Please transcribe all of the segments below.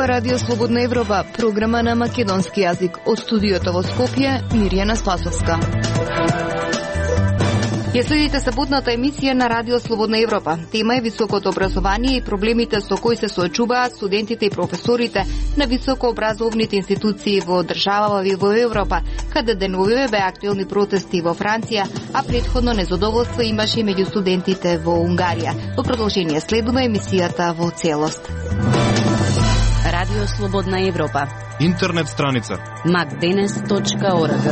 ова Радио Слободна Европа, програма на македонски јазик. Од студиото во Скопје, Мирјана Спасовска. Ја следите саботната емисија на Радио Слободна Европа. Тема е високото образование и проблемите со кои се соочуваат студентите и професорите на високообразовните институции во држава во Европа, каде деновиве беа актуелни протести во Франција, а претходно незадоволство имаше и меѓу студентите во Унгарија. Во продолжение следува емисијата во целост. Радио Слободна Европа. Интернет страница macdenes.org.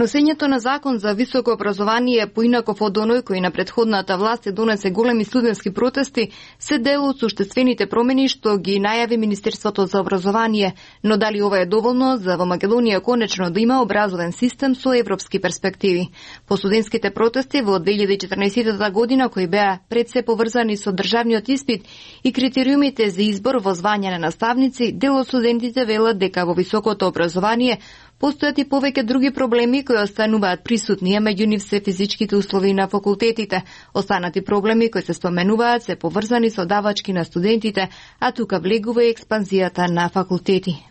Носењето на закон за високо образование е поинаков од оној кој на претходната власт се донесе големи студентски протести, се дел од суштествените промени што ги најави Министерството за образование, но дали ова е доволно за во Македонија конечно да има образовен систем со европски перспективи? По студентските протести во 2014 година, кои беа пред се поврзани со државниот испит и критериумите за избор во звања на наставници, дел од студентите велат дека во високото образование постојат и повеќе други проблеми кои остануваат присутни, а меѓу нив се физичките услови на факултетите. Останати проблеми кои се споменуваат се поврзани со давачки на студентите, а тука влегува и експанзијата на факултети.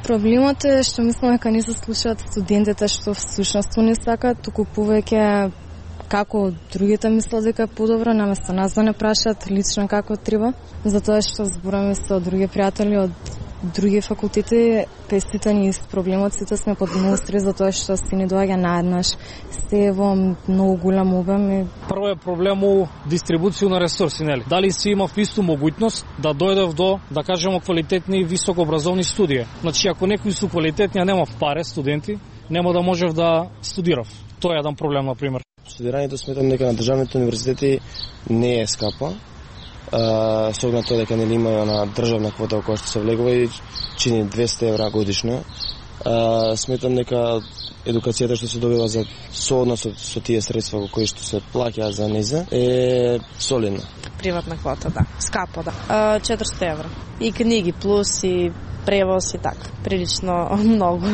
Проблемот е што мислам дека не се слушаат студентите што всушност не сакаат, туку повеќе како другите мислат дека е подобро, наместо нас да не прашаат лично како треба, затоа што збораме со други пријатели од други факултети, кај сите ни проблемот, сите сме под многу стрес затоа што си не доаѓа наеднаш, се во многу голем обем. Прво е проблем у дистрибуција на ресурси, нели? Дали си имав исту моgućност да дојдев до, да кажеме, квалитетни високообразовни студии. Значи, ако некои су квалитетни, а немав паре студенти, нема да можев да студирав. Тоа е еден проблем, на пример. Студирањето сметам дека на државните универзитети не е скапа. Со оглед тоа дека нели имаја на државна квота која што се влегува и чини 200 евра годишно. Сметам дека едукацијата што се добива за сооднос со тие средства кои што се плаќаат за низа е солидна. Приватна квота, да. Скапо, да. 400 евра. И книги плюс и превоз и така. Прилично многу.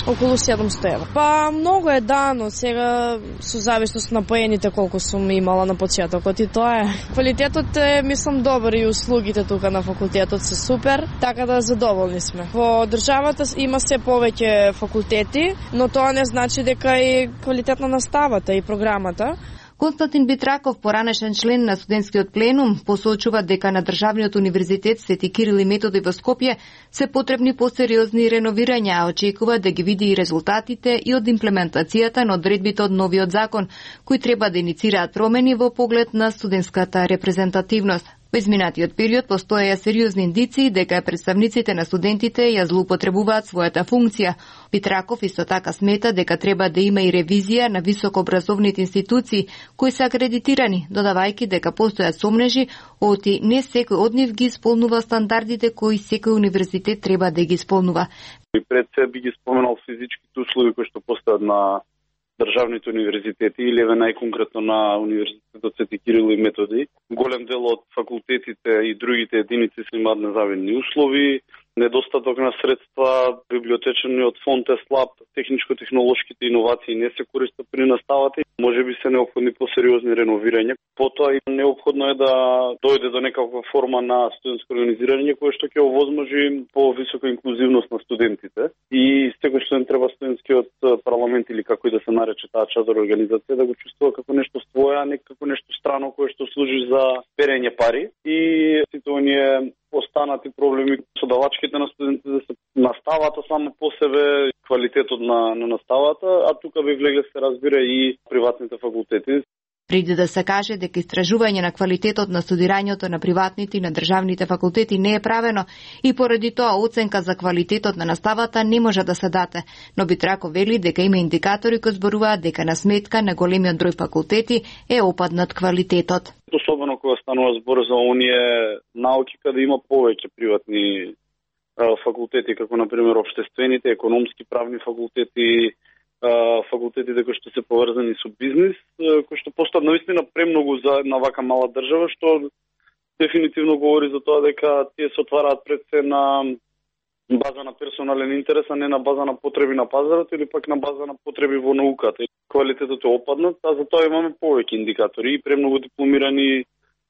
Околу 700 евра. Па многу е дано, сега со зависност на поените колку сум имала на почетокот и тоа е. Квалитетот е, мислам, добар и услугите тука на факултетот се супер, така да задоволни сме. Во државата има се повеќе факултети, но тоа не значи дека и квалитетна наставата и програмата. Константин Битраков, поранешен член на студентскиот пленум, посочува дека на државниот универзитет Свети Кирил и Методи во Скопје се потребни посериозни реновирања, а очекува да ги види и резултатите и од имплементацијата на одредбите од новиот закон, кои треба да иницираат промени во поглед на студентската репрезентативност. Во изминатиот период постоеја сериозни индиции дека представниците на студентите ја злоупотребуваат својата функција. Битраков исто така смета дека треба да има и ревизија на високообразовните институции кои се акредитирани, додавајќи дека постојат сомнежи оти не секој од нив ги исполнува стандардите кои секој универзитет треба да ги исполнува. И пред се би ги споменал физичките услови кои што постојат на државните универзитети или еве најконкретно на Универзитетот Свети Кирил и Методи. Голем дел од факултетите и другите единици се имаат незавидни услови, недостаток на средства, библиотечниот фонд е слаб, техничко-технолошките иновации не се користат при наставата, може би се неопходни посериозни реновирања. Потоа и неопходно е да дојде до некаква форма на студентско организирање кое што ќе овозможи повисока инклузивност на студентите и секој студент треба студентскиот парламент или како и да се нарече таа чадор организација да го чувствува како нешто свое, а не како нешто страно кое што служи за перење пари и сите оние останати проблеми со давачките на студентите да се наставата само по себе, квалитетот на наставата, а тука би влегле се разбира и приватните факултети. Преди да се каже дека истражување на квалитетот на студирањето на приватните и на државните факултети не е правено и поради тоа оценка за квалитетот на наставата не може да се даде, но Битраков вели дека има индикатори кои зборуваат дека на сметка на големиот број факултети е опаднат квалитетот. Особено кога станува збор за оние науки каде има повеќе приватни факултети, како например општествените, економски, правни факултети, факултетите кои што се поврзани со бизнис, кои што постојат навистина премногу за една вака мала држава, што дефинитивно говори за тоа дека тие се отвараат пред се на база на персонален интерес, а не на база на потреби на пазарот или пак на база на потреби во науката. Квалитетот е опаднат, а за тоа имаме повеќе индикатори и премногу дипломирани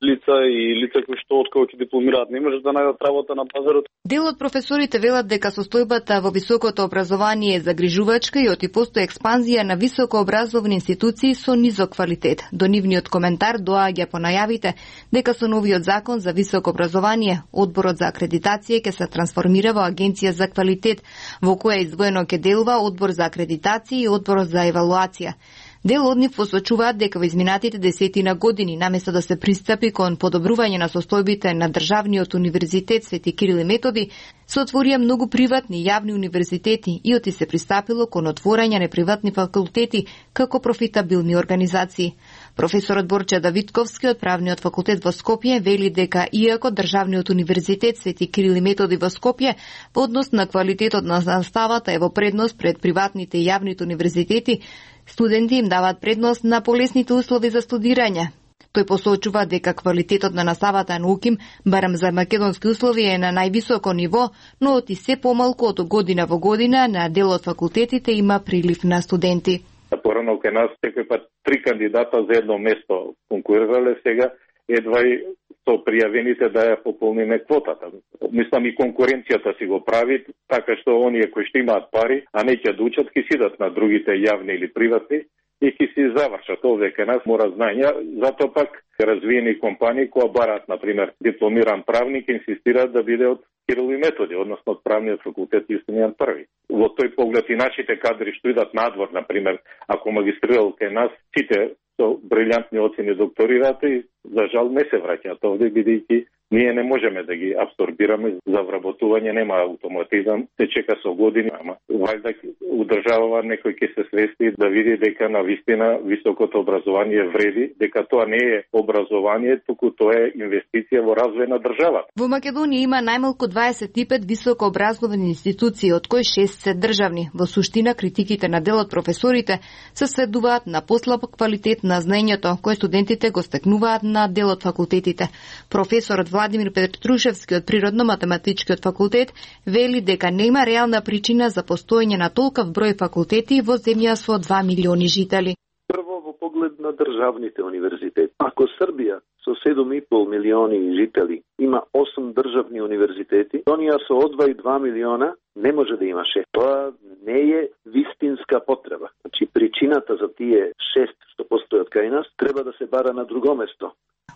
лица и лица кои што откако ќе дипломираат не можат да најдат работа на пазарот. Дел од професорите велат дека состојбата во високото образование е загрижувачка и оти постои експанзија на високообразовни институции со низок квалитет. До нивниот коментар доаѓа по најавите дека со новиот закон за високо образование одборот за акредитација ќе се трансформира во агенција за квалитет, во која издвоено ќе делува одбор за акредитација и одборот за евалуација. Дел од нив посочуваат дека во изминатите десетина години, наместо да се пристапи кон подобрување на состојбите на Државниот универзитет Свети Кирил и Методи, се отворија многу приватни и јавни универзитети и оти се пристапило кон отворање на приватни факултети како профитабилни организации. Професорот Борче Давидковски од Правниот факултет во Скопје вели дека иако Државниот универзитет Свети Кирил и Методи во Скопје во однос на квалитетот на наставата е во предност пред приватните и јавните универзитети, студенти им даваат предност на полесните услови за студирање. Тој посочува дека квалитетот на наставата на УКИМ, барем за македонски услови, е на највисоко ниво, но оти се помалку од година во година на дел од факултетите има прилив на студенти. Порано кај нас секој пат 3 кандидата за едно место конкурирале, сега едва и со пријавените да ја пополниме квотата. Мислам и конкуренцијата си го прави, така што оние кои што имаат пари, а не ќе дучат, ќе сидат на другите јавни или приватни и ќе си завршат. Овде кај нас мора знања, затоа пак развиени компании кои бараат, например, дипломиран правник, инсистираат да биде од Кирил и Методи, односно од Правниот факултет Јустинијан први. Во тој поглед и нашите кадри што идат надвор, например, ако магистрирал кај нас, сите со брилјантни оцени докторираат и за жал не се враќаат овде, бидејќи ние не можеме да ги абсорбираме, за вработување нема автоматизам, се чека со години, ама вајда удржавава некој ќе се свести да види дека на вистина високото образование вреди, дека тоа не е образование, туку тоа е инвестиција во развој на државата. Во Македонија има најмалку 25 високообразовани институции, од кои 6 се државни. Во суштина, критиките на дел од професорите се сведуваат на послаб квалитет на знаењето кој студентите го стекнуваат на дел од факултетите. Професорот Владимир Петрушевски од Природно-математичкиот факултет вели дека нема реална причина за постоење на толков број факултети во земја со 2 милиони жители. Прво во поглед на државните универзитети. Ако Србија со 7,5 милиони жители има 8 државни универзитети, онија со од 2 милиона не може да има 6. Тоа не е вистинска потреба. Значи причината за тие 6 што постојат кај нас треба да се бара на друго место.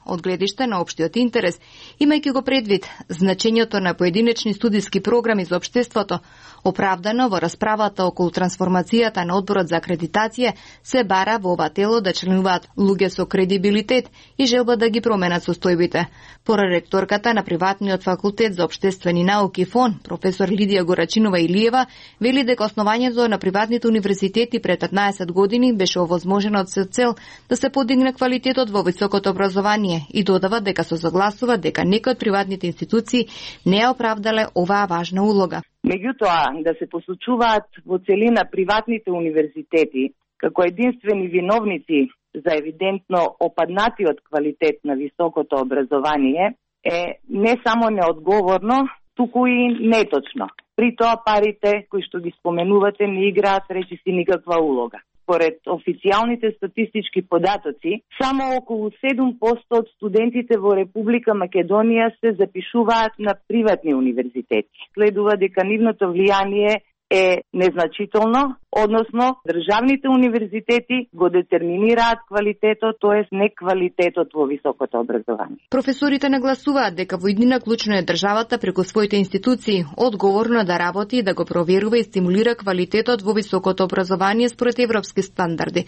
Од гледиште на општиот интерес, имајќи го предвид значењето на поединечни студиски програми за општеството, оправдано во расправата околу трансформацијата на одборот за акредитација, се бара во ова тело да членуваат луѓе со кредибилитет и желба да ги променат состојбите. Проректорката на Приватниот факултет за општествени науки ФОН, професор Лидија Горачинова Илиева, вели дека основањето на приватните универзитети пред 15 години беше овозможено од цел да се подигне квалитетот во високото образование и додава дека се согласува дека некои од приватните институции не ја оправдале оваа важна улога. Меѓутоа, да се посочуваат во целина приватните универзитети како единствени виновници за евидентно опаднатиот квалитет на високото образование е не само неодговорно, туку и неточно. При тоа парите кои што ги споменувате не играат речиси никаква улога. Според официјалните статистички податоци, само околу 7% од студентите во Република Македонија се запишуваат на приватни универзитети. Следува дека нивното влијание е незначително, односно државните универзитети го детерминираат квалитетот, тоест не квалитетот во високото образование. Професорите нагласуваат дека во иднина клучно е државата преку своите институции одговорно да работи и да го проверува и стимулира квалитетот во високото образование според европски стандарди.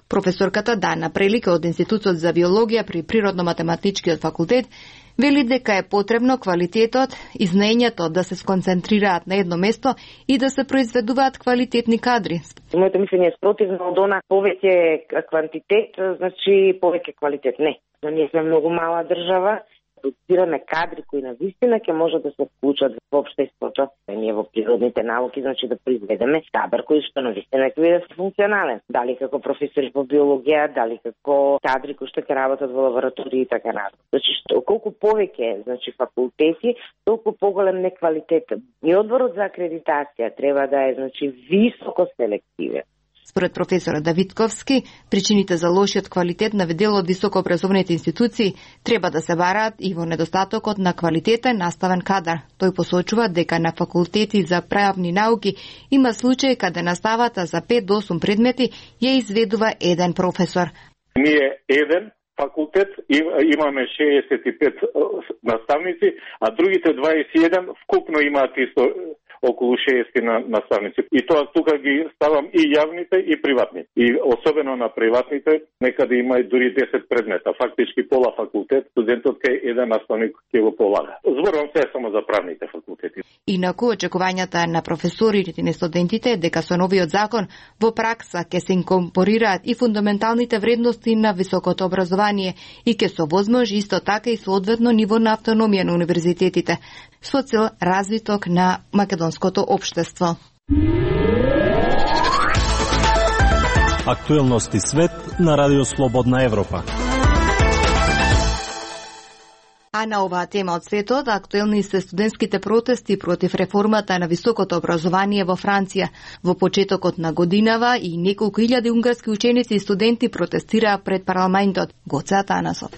Професорката Дана Прелика од Институтот за биологија при Природно-математичкиот факултет вели дека е потребно квалитетот и знаењето да се сконцентрираат на едно место и да се произведуваат квалитетни кадри. Моето мислење е спротивно од она повеќе квантитет, значи повеќе квалитет. Не. Ние сме многу мала држава, продуцираме кадри кои на вистина ќе може да се вклучат во општеството. Ние во природните науки, значи да произведеме кадар кој што на вистина ќе биде функционален. Дали како професори по биологија, дали како кадри кои што ќе работат во лаборатории и така натаму. Значи колку повеќе, значи факултети, толку поголем неквалитет. И одборот за акредитација треба да е, значи, високо селективен. Според професорот Давидковски, причините за лошиот квалитет на дел од високообразовните институции треба да се бараат и во недостатокот на квалитетен наставен кадар. Тој посочува дека на факултети за правни науки има случаи каде наставата за 5 до 8 предмети ја изведува еден професор. Ние еден факултет имаме 65 наставници, а другите 21 вкупно имаат исто околу 60 наставници. И тоа тука ги ставам и јавните и приватни. И особено на приватните некаде има и дури 10 предмета. Фактички пола факултет, студентот кај еден наставник ќе го полага. Зборувам се само за правните факултети. Инаку очекувањата на професорите и на студентите е дека со новиот закон во пракса ќе се инкорпорираат и фундаменталните вредности на високото образование и ќе се овозможи исто така и соодветно ниво на автономија на универзитетите со цел развиток на македонското општество. Актуелности свет на Радио Слободна Европа. А на оваа тема од светот, актуелни се студентските протести против реформата на високото образование во Франција. Во почетокот на годинава и неколку илјади унгарски ученици и студенти протестираа пред парламентот. Гоце Атанасов.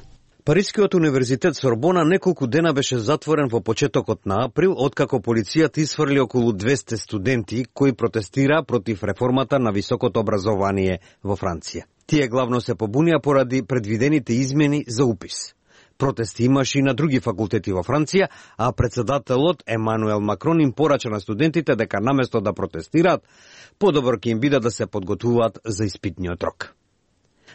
Парискиот универзитет Сорбона неколку дена беше затворен во почетокот на април, откако полицијата исфрли околу 200 студенти кои протестираа против реформата на високото образование во Франција. Тие главно се побунија поради предвидените измени за упис. Протести имаше и на други факултети во Франција, а председателот Емануел Макрон им порача на студентите дека наместо да протестираат, подобро ќе им биде да се подготвуваат за испитниот рок.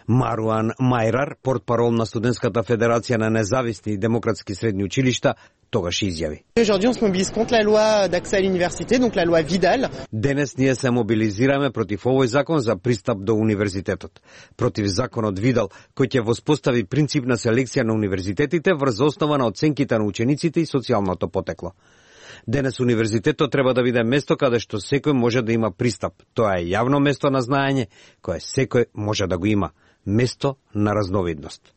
Маруан Мајрар, портпарол на Студентската федерација на независни и демократски средни училишта, тогаш изјави. Денес ние се мобилизираме против овој закон за пристап до универзитетот, против законот Видал, кој ќе воспостави принцип на селекција на универзитетите врз основа на оценките на учениците и социјалното потекло. Денес универзитетот треба да биде место каде што секој може да има пристап. Тоа е јавно место на знаење, кое секој може да го има. Место на разновидност.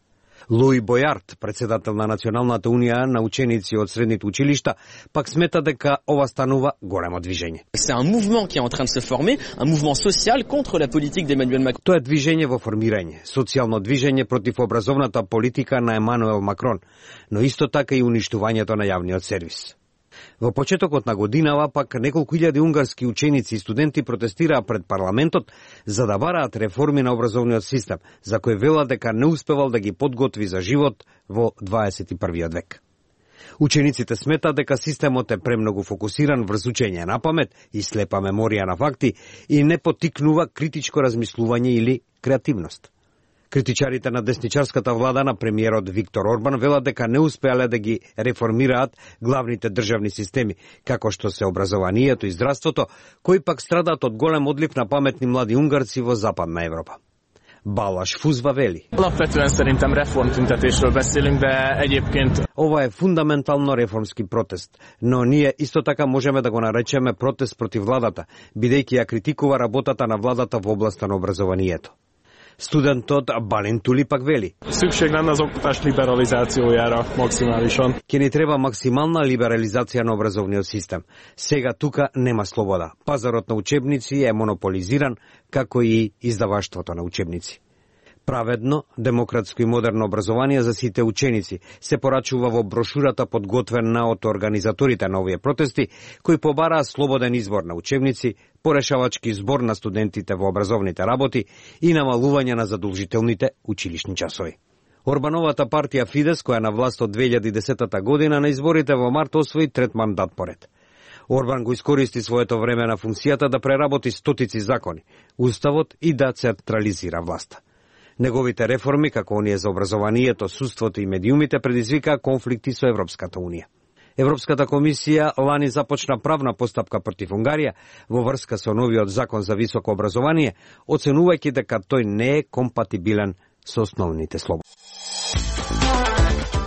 Луи Бојард, председател на Националната унија на ученици од средните училишта, пак смета дека ова станува големо движење. Тоа е движење во формирање, социјално движење против образовната политика на Емануел Макрон, но исто така и уништувањето на јавниот сервис. Во почетокот на годинава пак неколку илјади унгарски ученици и студенти протестираа пред парламентот за да бараат реформи на образовниот систем, за кој велат дека не успевал да ги подготви за живот во 21. век. Учениците сметаат дека системот е премногу фокусиран врз учење на памет и слепа меморија на факти и не поттикнува критичко размислување или креативност. Критичарите на десничарската влада на премиерот Виктор Орбан велат дека не успеале да ги реформираат главните државни системи, како што се образованието и здравството, кои пак страдаат од голем одлив на паметни млади унгарци во Западна Европа. Балаш Фузва вели. Ова е фундаментално реформски протест, но ние исто така можеме да го наречеме протест против владата, бидејќи ја критикува работата на владата во областа на образованието. Студентот Бален Тули пак вели. Ќе ни треба максимална либерализација на образовниот систем. Сега тука нема слобода. Пазарот на учебници е монополизиран, како и издаваштвото на учебници. Праведно, демократско и модерно образование за сите ученици се порачува во брошурата подготвена од организаторите на овие протести, кои побараа слободен избор на учебници, порешавачки збор на студентите во образовните работи и намалување на задолжителните училишни часови. Орбановата партија Фидес, која на власт од 2010 година на изборите во март освои трет мандат поред. Орбан го искористи своето време на функцијата да преработи стотици закони, уставот и да централизира власта. Неговите реформи, како оние за образованието, судството и медиумите, предизвикаа конфликти со Европската унија. Европската комисија лани започна правна постапка против Унгарија во врска со новиот закон за високо образование, оценувајќи дека тој не е компатибилен со основните слободи.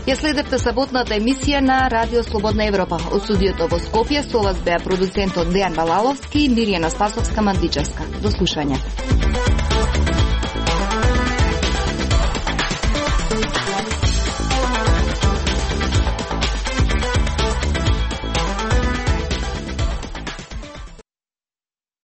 Ја следевте саботната емисија на Радио Слободна Европа. Од студиото во Скопје со вас беа продуцентот Дејан Балаловски и Мирјана Спасовска-Мандичевска. До слушање.